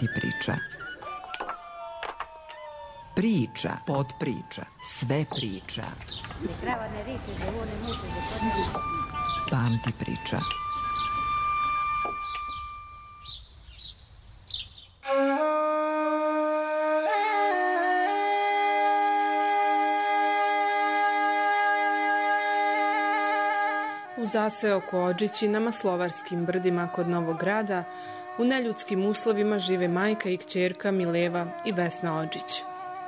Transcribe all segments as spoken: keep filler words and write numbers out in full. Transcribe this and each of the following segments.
Pamti priča. Priča, podpriča, sve priča. Pamti priča. U zaseoku Odžići na Maslovarskim brdima kod Novog Grada u neljudskim uslovima žive majka i kćerka Mileva i Vesna Odžić.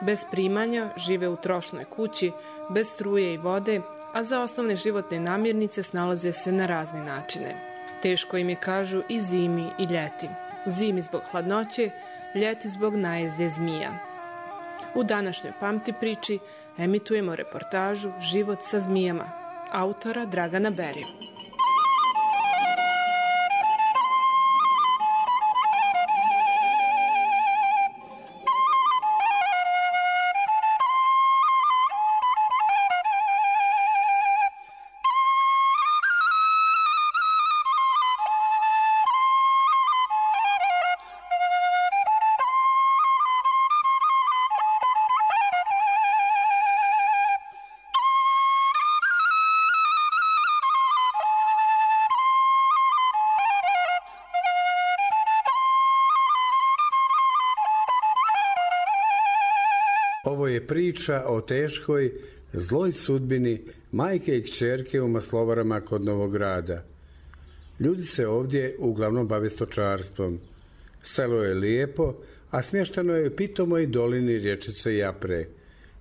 Bez primanja žive u trošnoj kući, bez struje i vode, a za osnovne životne namirnice snalaze se na razne načine. Teško im je, kažu, i zimi i ljeti. Zimi zbog hladnoće, ljeti zbog najezde zmija. U današnjoj Pamti priči emitujemo reportažu Život sa zmijama, autora Dragana Berija. Ovo je priča o teškoj, zloj sudbini majke i kćerke u Maslovarama kod Novog Grada. Ljudi se ovdje uglavnom bave stočarstvom. Selo je lijepo, a smješteno je u pitomoj dolini rječice Japre.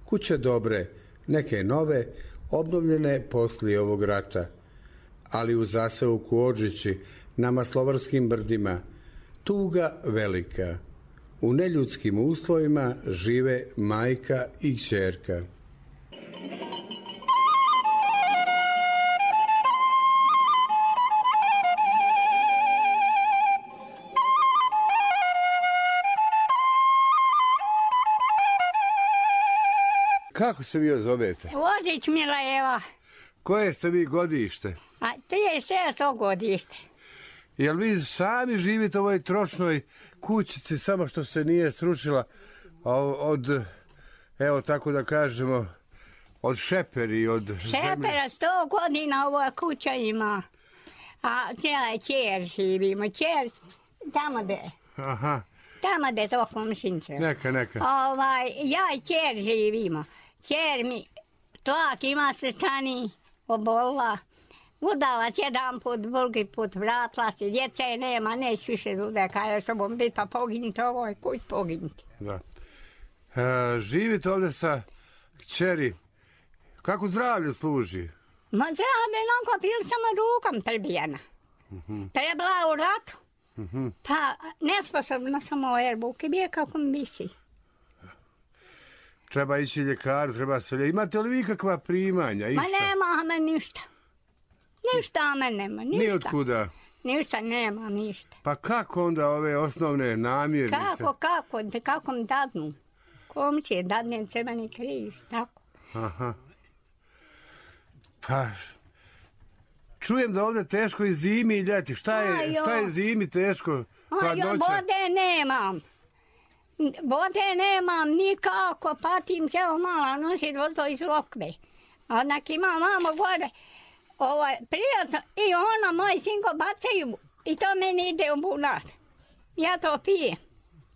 Kuće dobre, neke nove, obnovljene poslije ovog rata. Ali u zaseoku Odžići, na Maslovarskim brdima, tuga velika. U neljudskim uslovima žive majka i kćerka. Kako se vi zovete? Odžić Mileva. Koje ste vi godište? A trideset šesto godište. Jel vi sami živite u ovoj tročnoj kućici, samo što se nije srušila od, evo tako da kažemo, od šeperi, od šepera, sto godina ova kuća ima. A cijela čer živimo, čer tamo gde. Aha. Tamo gde to komšince. Neka, neka. Ovaj, ja i čer živimo. Čer mi tlak ima srčani, obolila. Udala se jedan put, drugi put, vratila se, djece nema, neće više dude, kaže što bom biti, pa poginite ovoj kuć, poginite. Da. E, živite ovdje sa kćeri, kako zdravlje služi? Ma zdravlje, onako bili samo rukom prebijena. Uh-huh. Prebila u ratu, uh-huh. Pa nesposobna samo o erbuke, bije kako mi bisi. Treba ići ljekaru, treba sve. Imate li vi kakva primanja? Ma nema me ništa. Ništa me nema, ništa. Ni otkuda? Ništa nema, ništa. Pa kako onda ove osnovne namirnice? Kako, kako, kako mi dadnu? Kom će dadnem Crveni križ, tako. Aha. Pa, čujem da ovdje teško i zimi i ljeti. Šta je, šta je zimi teško? Ajo, vode nemam. Vode nemam nikako, patim se ovo malo nosit vodo iz lokve. Onak imam mamo gore. Ovo je prijatno i ono, moj sinko bacaju i to meni ide u bunar. Ja to pijem.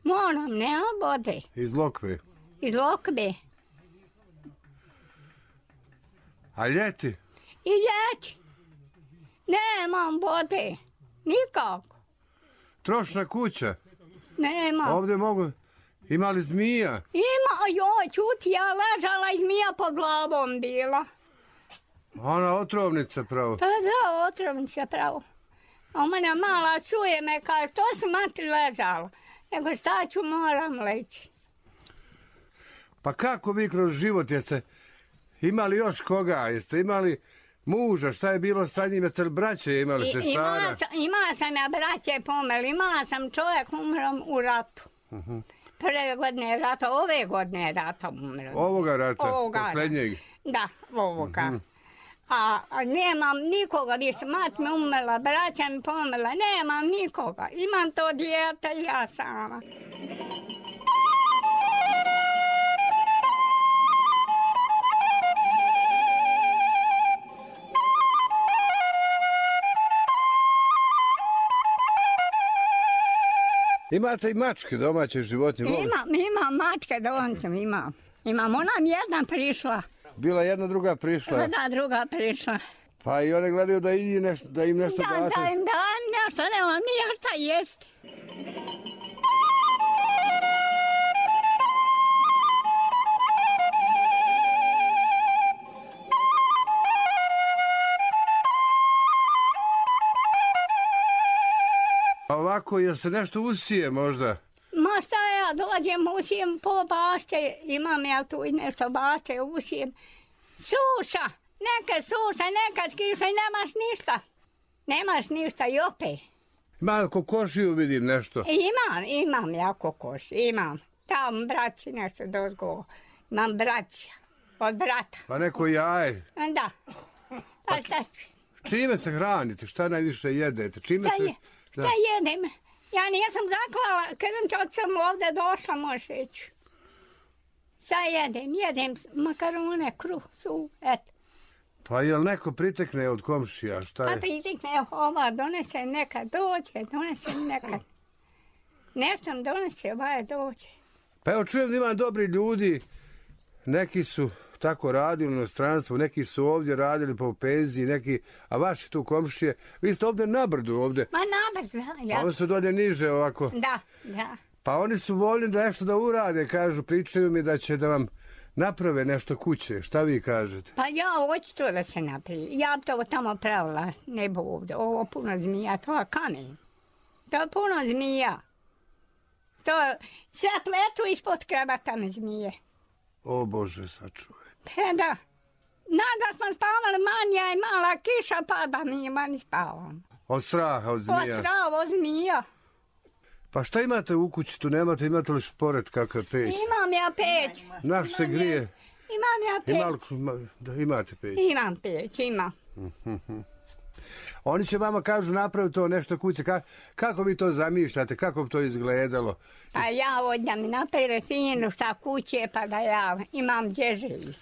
Moram, nema vode. Iz lokve? Iz lokve. A ljeti? I ljeti. Nemam vode. Nikako. Trošna kuća? Nema. Ovdje mogu... Ima li zmija? Ima, joj, čuti, ja ležala i zmija pod glavom bila. Ona otrovnica pravo? Pa da, otrovnica pravo. A mene mala čuje me, kaže, što su mati ležala? Nego šta ću, moram leći. Pa kako vi kroz život jeste imali još koga? Jeste imali muža? Šta je bilo sa njim? Jeste li braće imali se stara? Imala sam, ima sam ja braće pomeli. Imala sam čovjek umrom u ratu. Uh-huh. Prve godine rata, ove godine rata umrom. Ovoga rata? Ovoga. Posljednjeg? Da, ovoga. Uh-huh. A, a nemam nikoga više. Mat mi umrla, braća mi pomrla. Nemam nikoga. Imam to dijete i ja sama. Imate i mačke, domaće životinje? Imam, imam mačke domaće, imam. Imam, ona mi jedna prišla. Bila jedna, druga prišla? Da, druga prišla. Pa i one gledaju da, i nešto, da im nešto da, date? Da, im dajem nešto, nemam nije šta jest. A ovako, jel se nešto usije možda? Ma šta ja dođem, usijem po bašće, imam ja tu i nešto bašće, usijem. Suša, nekad suša, nekad kiša i nemaš ništa. Nemaš ništa i opet. Ima kokošiju vidim nešto. Imam, imam ja kokoš, imam. Tam braći nešto dozgo. Imam braća, od brata. Pa neko jaje. Da. Pa šta? Čime se hranite? Šta najviše jedete? Čime šta se... Je, šta jedem? Ja nisam zaklala, kad sam ovdje došla, može ići. Šta jedem? Jedem makarone, kruh, su, eto. Pa jel neko pritekne od komšija? Šta je? Pa pritekne, ova donese nekad dođe, donese nekad. Nešto donese, ova dođe. Pa evo čujem da ima dobri ljudi, neki su tako radili u inostranstvu, neki su ovdje radili po penziji, neki, a vaši tu komšije, vi ste ovdje na brdu ovdje. Ma na brdu, ja. A oni su dolje niže ovako. Da, da. Pa oni su voljni da nešto da urade, kažu, pričaju mi da će da vam naprave nešto kuće. Šta vi kažete? Pa ja hoću to da se napravi. Ja bi to tamo pravila, ne bo ovdje. Ovo puno zmija, to je kamen. To je puno zmija. To sve pletu ispod krebata me zmije. O Bože, sačuvaj. Pa da. Nada smo spavali manja i mala kiša pada mi mani spavam. Od straha, od zmija? Od straha, od zmija. Pa šta imate u kući tu? Nemate, imate li šporet kakav peć? Imam ja peć. Naš se grije? Imam ja peć. Ima, da, imate peć? Imam peć, imam. Oni će vama kažu napraviti to nešto kuće. Ka, kako vi to zamišljate? Kako bi to izgledalo? Pa ja odnjam mi naprave finu sa kuće pa da ja imam gdje živiti.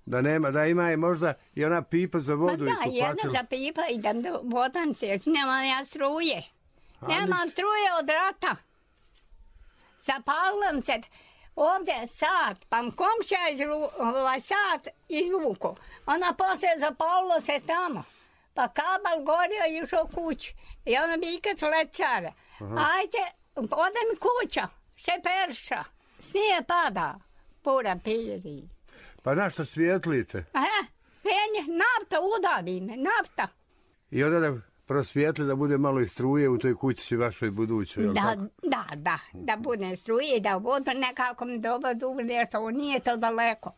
Da nema, da ima je možda i ona pipa za vodu. Ma i da, jedna za pipa idem do vodan se, nemam ja struje. A, nemam struje od rata. Zapalim se ovdje sat, pa komšija izru, ovaj sat izvuku. Ona poslije zapalilo se tamo. Pa kabel gorio i išao kući. I ona bi ikad lećara. Ajde, ode mi kuća, šeperša. Snije pada, pura piri. Pa na što svijetlite? Aha, penje, nafta udavi me, nafta. I onda da prosvijetli da bude malo i struje u toj kući vašoj budućoj, jel da, tako? Da, da, da bude struje, da vodu nekako mi dobro dugo nešto, nije to daleko.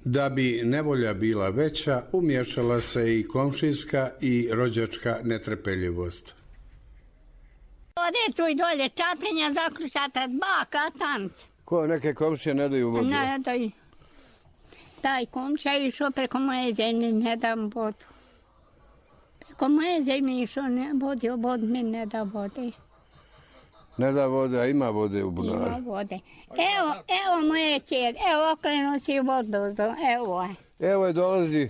Da bi nevolja bila veća, umješala se i komšijska i rođačka netrpeljivost. Ode tu i dolje čatrenja zaključata, baka, tant. Ko neke komšije ne daju vodu? Ne daju. Taj komšija je išao preko moje zemlje, ne dam vodu. Preko moje zemlje išao, ne vodio vodu, mi ne da vode. Ne da vode, a ima vode u bunaru. Ima vode. Evo, evo moje čer, evo okrenu si vodu, evo je. Evo je dolazi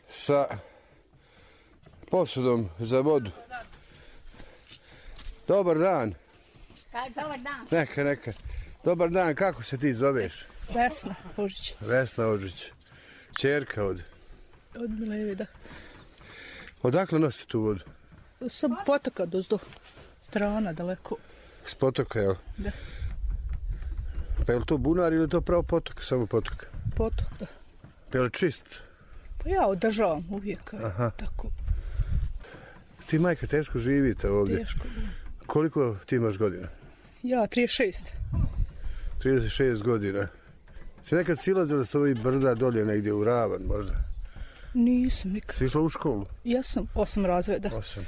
sa posudom za vodu. Dobar dan. Dobar dan. Neka, neka. Dobar dan, kako se ti zoveš? Vesna Ožić. Vesna Ožić. Čerka od? Od Mileve, da. Odakle nosi tu vodu? Sam potoka dozdo. Strana, daleko. S potoka, jel? Da. Pa je li to bunar ili je to pravo potok, samo potok? Potok, da. Pa je li čist? Pa ja održavam uvijek. Aha. Tako. Ti, majka, teško živite ovdje. Teško, da. Koliko ti imaš godina? Ja, trideset šest. trideset šest godina. Si nekad silazila s ovih brda dolje negdje u Ravan, možda? Nisam nikad. Si išla u školu? Ja sam osam razreda. Osam.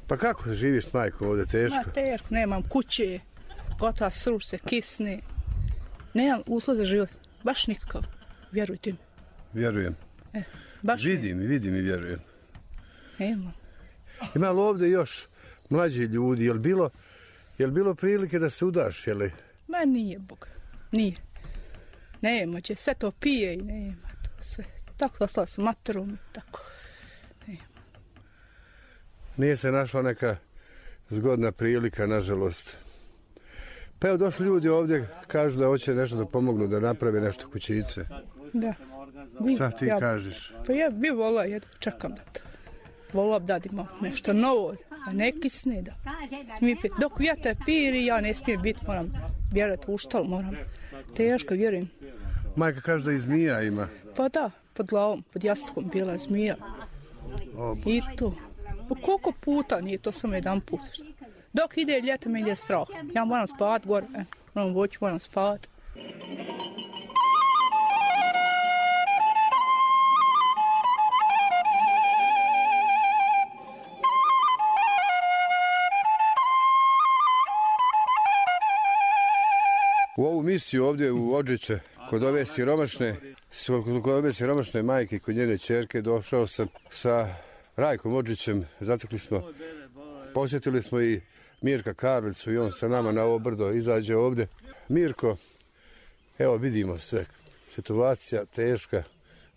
Pa kako živiš s majkom ovdje, teško? Ma teško, nemam kuće, gota sruš se, kisne. Nemam uslov za život, baš nikakav, vjerujte mi. Vjerujem. E, baš vidim i vidim i vjerujem. Nema. Ima li ovdje još mlađi ljudi, je li bilo, je li bilo prilike da se udaš, je li? Ma nije, Bog, nije. Nema, će sve to pije i nema to sve. Tako ostala sam materom i tako. Nema. Nije se našla neka zgodna prilika, nažalost. Pa evo došli ljudi ovdje, kažu da hoće nešto da pomognu, da naprave nešto kućice. Da. Šta ti ja, kažeš? Pa ja bi volila, jedno, čekam da to. Volila bi da imam nešto novo, a ne kisne da. Dok vjetar piri, ja ne smijem biti, moram vjerati u štal, moram. Teško, vjerujem. Majka kaže da i zmija ima. Pa da, pod glavom, pod jastukom bila zmija. O, I to. Pa koliko puta, nije to samo jedan put. Dok ide ljeto, me ide strah. Ja moram spavat gore, e, moram voći, moram spavat. U ovu misiju ovdje u Odžiće, kod ove siromašne, kod ove siromašne majke i kod njene ćerke, došao sam sa Rajkom Odžićem. Zatekli smo, posjetili smo i Mirka Karlicu i on sa nama na ovo brdo izađe ovdje. Mirko, evo vidimo sve. Situacija teška,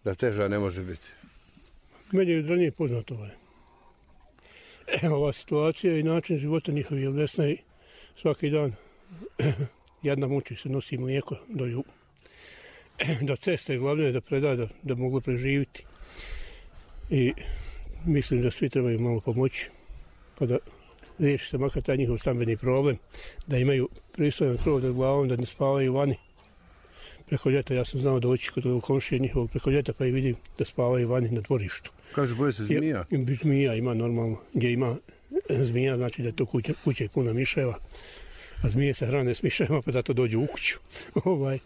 da teža ne može biti. Meni je ranije poznato ovaj. Ova situacija i način života njihovi, jer Vesna i svaki dan jedna muči se, nosi mlijeko do ju. Do ceste, glavno je da preda, da, da mogu preživiti. I mislim da svi trebaju malo pomoći, pa da riješi se makar taj njihov stambeni problem, da imaju pristojan krov nad glavom, da ne spavaju vani. Preko ljeta ja sam znao doći kod komšije njihovog preko ljeta, pa i vidim da spavaju vani na dvorištu. Kaže, boje se zmija? I, zmija ima normalno, gdje ima zmija, znači da je to kuća, kuća je puna miševa, a zmije se hrane s miševa, pa zato dođu u kuću. ovaj.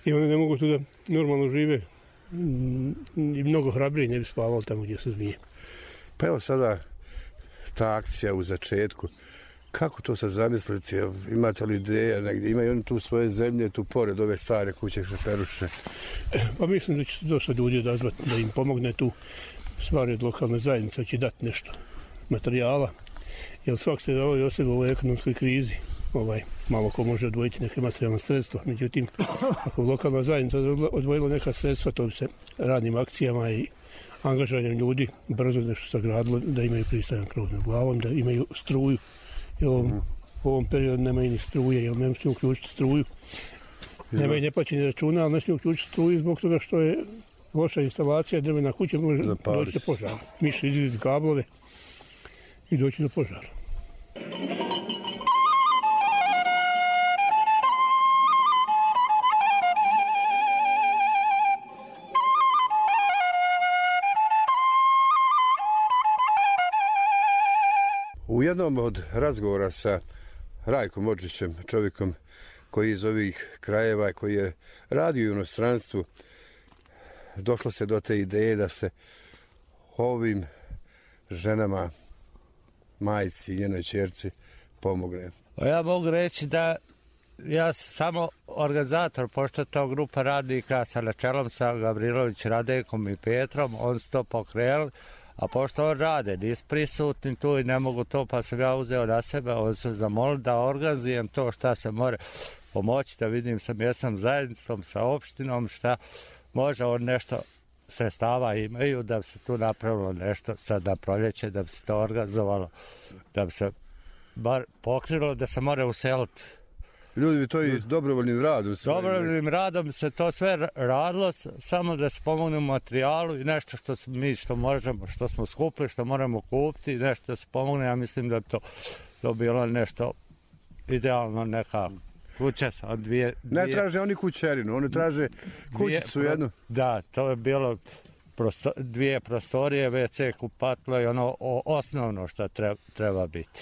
I one ne mogu tu da normalno žive. I mnogo hrabriji ne bi spavali tamo gdje su zmije. Pa evo sada ta akcija u začetku. Kako to sad zamisliti? Imate li ideja negdje? Imaju oni tu svoje zemlje, tu pored ove stare kuće Šeperuše? Pa mislim da će dosta ljudi odazvati da im pomogne tu. Stvari od lokalne zajednice će dati nešto materijala. Jer svak se ovoj osobi u ovoj ekonomskoj krizi ovaj, malo ko može odvojiti neke materijalne sredstva. Međutim, ako lokalna zajednica odvojila neka sredstva, to bi se radnim akcijama i angažanjem ljudi brzo nešto sagradilo, da imaju pristojan krov nad glavom, da imaju struju. Jer ovom, u ovom periodu nemaju ni struje, jer ne smiju uključiti struju. Nemaju neplaćeni računa, ali ne smiju uključiti struju zbog toga što je loša instalacija, drvena kuća može doći do požara. Miše izgled kablove i doći do požara. U jednom od razgovora sa Rajkom Odžićem, čovjekom koji iz ovih krajeva, koji je radio u inostranstvu, došlo se do te ideje da se ovim ženama, majci i njenoj ćerci pomogne. Ja mogu reći da ja sam samo organizator, pošto to grupa radnika sa načelom sa Gavrilović, Radekom i Petrom, on su to pokrenuli. A pošto on rade, nisu prisutni tu i ne mogu to, pa sam ja uzeo na sebe, on su zamolili da organizujem to šta se more pomoći, da vidim sa mjesnom zajednicom, sa opštinom, šta može on nešto sredstava imaju, da bi se tu napravilo nešto sad na proljeće, da bi se to organizovalo, da bi se bar pokrilo, da se more useliti. Ljudi bi to i s dobrovoljnim radom. Dobrovoljnim radom se to sve radilo, samo da se pomogne u materijalu i nešto što mi što možemo, što smo skupili, što moramo kupiti, nešto da se pomogne. Ja mislim da bi to, to bilo nešto idealno, neka kuća sa dvije, dvije... Ne traže oni kućerinu, oni traže kućicu dvije, jednu. Da, to je bilo prosto, dvije prostorije, ve ce, kupatlo i ono o, osnovno što treba, treba biti.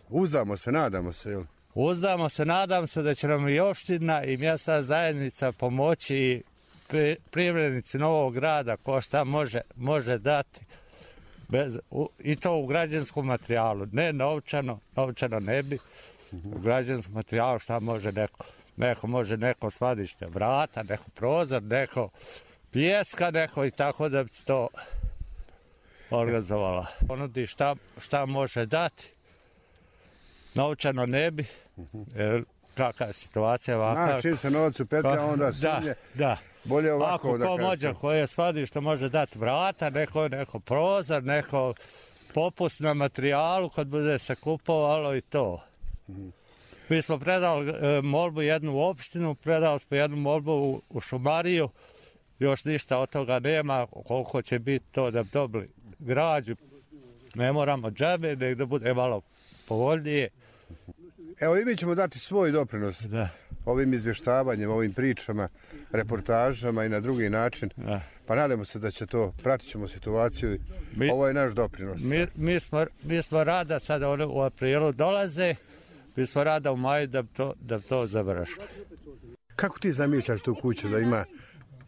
Uzdamo se, nadamo se, jel? Uzdamo se, nadam se da će nam i opština i mjesna zajednica pomoći i poljoprivrednici Novog Grada ko šta može, može dati. Bez, u, I to u građanskom materijalu, ne novčano, novčano ne bi, u građanskom materijalu šta može neko, neko može neko skladište vrata, neko prozor, neko pijeska, neko i tako da bi to organizovala. Ponudi šta, šta može dati, novčano ne bi, jer kakva je situacija ovakva. A, čim se novac upetlja, onda da, da. Bolje ovako ako da ko može, koje skladište može dati vrata, neko, neko prozor, neko popust na materijalu kad bude se kupovalo i to. Mm-hmm. Mi smo predali e, molbu jednu u opštinu, predali smo jednu molbu u, u šumariju, još ništa od toga nema, koliko će biti to da bi dobili građu. Ne moramo džabe, nek da bude malo povoljnije. Evo i mi ćemo dati svoj doprinos da. ovim izvještavanjem, ovim pričama, reportažama i na drugi način. Da. Pa nadamo se da će to, pratit ćemo situaciju. Mi, Ovo je naš doprinos. Mi, mi, smo, mi smo rada, sada one u aprilu dolaze, mi smo rada u maju da bi to, da bi to završili. Kako ti zamišljaš tu kuću da ima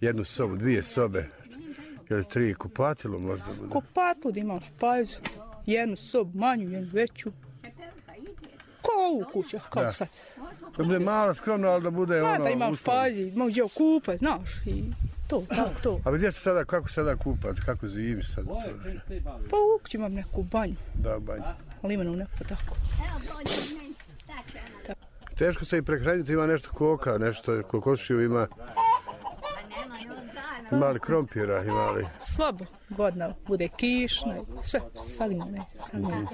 jednu sobu, dvije sobe, ili tri, kupatilo možda bude? Kupatilo da imaš pajzu, jednu sobu manju, jednu veću. Kao ovu kuća, kao da. sad. Da bude malo skromno, ali da bude da, ono... Da imaš pazi, mogu gdje kupat, znaš, i to, tako, to. A gdje se sada, kako sada kupat, kako zimi sad? Pa u kući imam neku banju. Da, banju. Ali imenu neku tako. Teško se i prehraniti, ima nešto koka, nešto, kokošiju ima. Ima li krompira, ima li? Slabo, godina, bude kišna, sve sagnjene, sagnjene.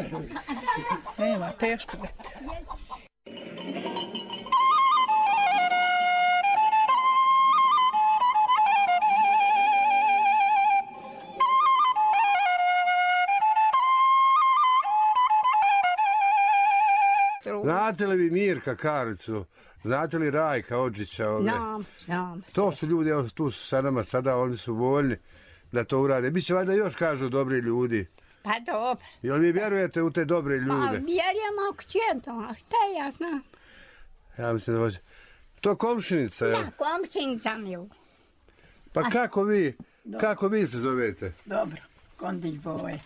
Nema, teško biti. Znate li vi Mirka Karlicu? Znate li Rajka Odžića? Ove? Znam, znam. To su ljudi, evo tu su sa nama sada, oni su voljni da to urade. Biće valjda još kažu dobri ljudi. Pa dobro. Jel vi vjerujete u te dobre ljude? Pa vjerujem ako će to, a šta ja znam? Ja mislim da hoće. To komšinica, jel? Da, komšinica mi je. Pa a, kako vi, dobro. Kako vi se zovete? Dobro, Kondić Boje.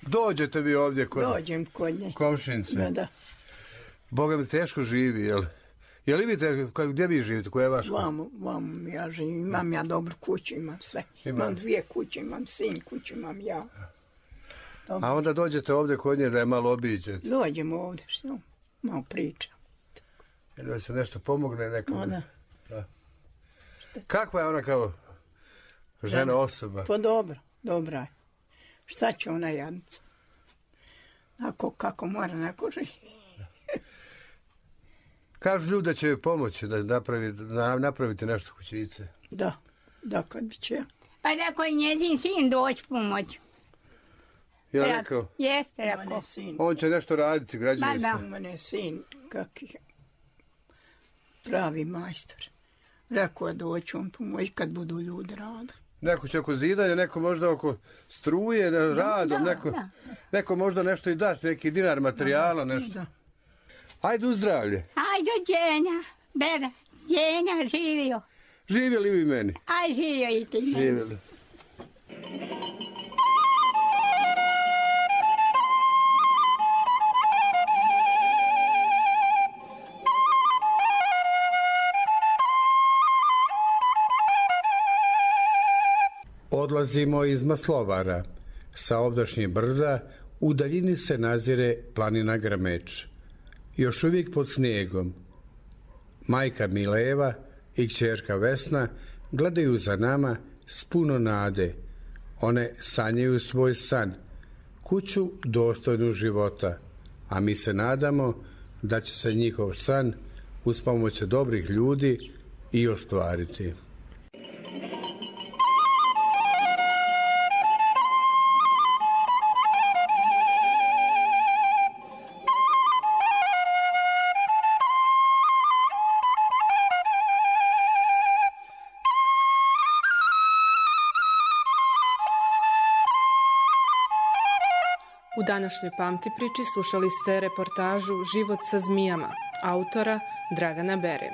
Dođete vi ovdje kod Dođem kod nje. Komšinice? Da, da. Boga mi teško živi, jel? Jel vidite, gdje vi živite, koja je vaša? Vamo, vamo ja živim, imam ja dobru kuću, imam sve. Imam, imam dvije kuće, imam sin kuću, imam ja. Dobro. A onda dođete ovdje kod nje da je malo obiđete? Dođemo ovdje, što? Malo pričam. Jel da se nešto pomogne nekom? O, da. Da. Kakva je ona kao žena da. Osoba? Pa dobro, dobra je. Šta će ona jadnica? Ako, kako mora neko živi. Kažu ljudi da će joj pomoći da napravi, da napravite nešto kućice. Da, da kad bi će. Pa rekao je njezin sin doći pomoć. Ja rekao? Jeste rekao. On će nešto raditi građevinsko. Ma da. Mene sin, kakvi pravi majstor. Rekao je doći on pomoći kad budu ljudi radili. Neko će oko zidanja, neko možda oko struje, radom, da, neko, da. neko možda nešto i dati, neki dinar materijala, nešto. Da. Ajde u zdravlje. Ajde Djenja, Bera, Djenja živio. Živjeli vi meni? Aj živio i ti meni. Živjeli. Odlazimo iz Maslovara. Sa ovdašnjih brda u daljini se nazire planina Grmeč. Još uvijek pod snijegom. Majka Mileva i kćerka Vesna gledaju za nama s puno nade. One sanjaju svoj san, kuću dostojnu života, a mi se nadamo da će se njihov san uz pomoć dobrih ljudi i ostvariti. U današnjoj Pamti priči slušali ste reportažu Život sa zmijama, autora Dragana Bere.